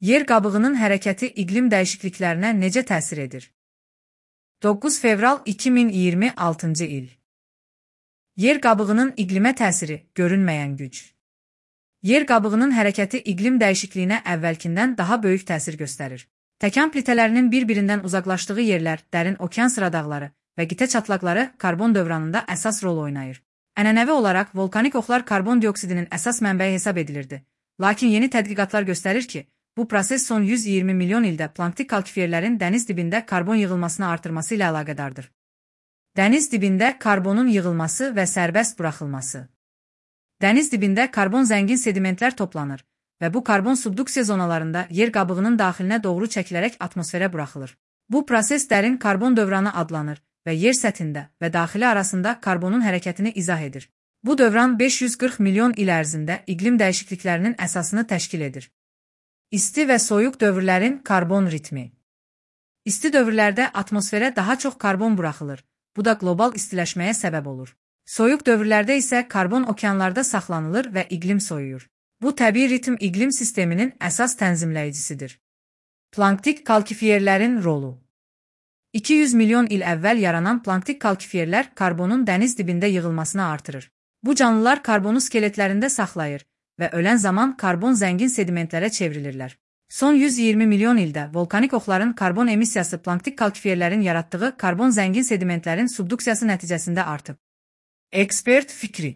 Yer qabığının hərəkəti iqlim dəyişikliklərinə necə təsir edir? 9 fevral 2026-cı il. Yer qabığının iqlimə təsiri, görünməyən güc. Yer qabığının hərəkəti iqlim dəyişikliyinə əvvəlkindən daha böyük təsir göstərir. Təkan plitələrinin bir-birindən uzaqlaşdığı yerlər, dərin okean sıradağları və qitə çatlaqları karbon dövranında əsas rol oynayır. Ənənəvi olaraq volkanik oxlar karbon dioksidinin əsas mənbəyi hesab edilirdi. Lakin yeni tədqiqatlar göstərir ki, bu proses son 120 milyon ildə planktik kalkifiyerlərin dəniz dibində karbon yığılmasını artırması ilə əlaqədardır. Dəniz dibində karbonun yığılması və sərbəst buraxılması. Dəniz dibində karbon zəngin sedimentlər toplanır və bu karbon subduksiya zonalarında yer qabığının daxilinə doğru çəkilərək atmosferə buraxılır. Bu proses dərin karbon dövranı adlanır və yer səthində və daxili arasında karbonun hərəkətini izah edir. Bu dövran 540 milyon il ərzində iqlim dəyişikliklərinin əsasını təşkil edir. İsti və soyuq dövrlərin karbon ritmi. İsti dövrlərdə atmosferə daha çox karbon buraxılır. Bu da qlobal istiləşməyə səbəb olur. Soyuq dövrlərdə isə karbon okeanlarda saxlanılır və iqlim soyuyur. Bu təbii ritm iqlim sisteminin əsas tənzimləyicisidir. Planktik kalkifiyerlərin rolu. 200 milyon il əvvəl yaranan planktik kalkifiyerlər karbonun dəniz dibində yığılmasını artırır. Bu canlılar karbonu skeletlərində saxlayır və ölən zaman karbon zəngin sedimentlərə çevrilirlər. Son 120 milyon ildə volkanik oxların karbon emissiyası planktik kalkifiyerlərin yaratdığı karbon zəngin sedimentlərin subduksiyası nəticəsində artıb. Ekspert fikri.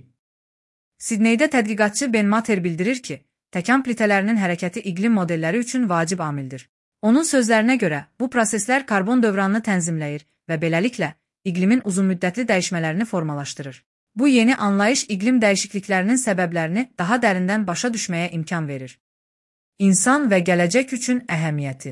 Sidneydə tədqiqatçı Ben Mater bildirir ki, təkan plitələrinin hərəkəti iqlim modelləri üçün vacib amildir. Onun sözlərinə görə, bu proseslər karbon dövranını tənzimləyir və beləliklə iqlimin uzunmüddətli dəyişmələrini formalaşdırır. Bu yeni anlayış iqlim dəyişikliklərinin səbəblərini daha dərindən başa düşməyə imkan verir. İnsan və gələcək üçün əhəmiyyəti.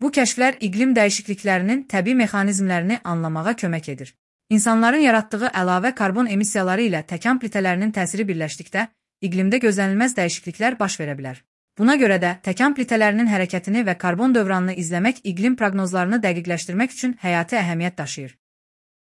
Bu kəşflər iqlim dəyişikliklərinin təbii mexanizmlərini anlamağa kömək edir. İnsanların yaratdığı əlavə karbon emissiyaları ilə təkan plitələrinin təsiri birləşdikdə, iqlimdə gözlənilməz dəyişikliklər baş verə bilər. Buna görə də təkan plitələrinin hərəkətini və karbon dövranını izləmək iqlim proqnozlarını dəqiqləşdirmək üçün həyati əhəmiyyət daşıyır.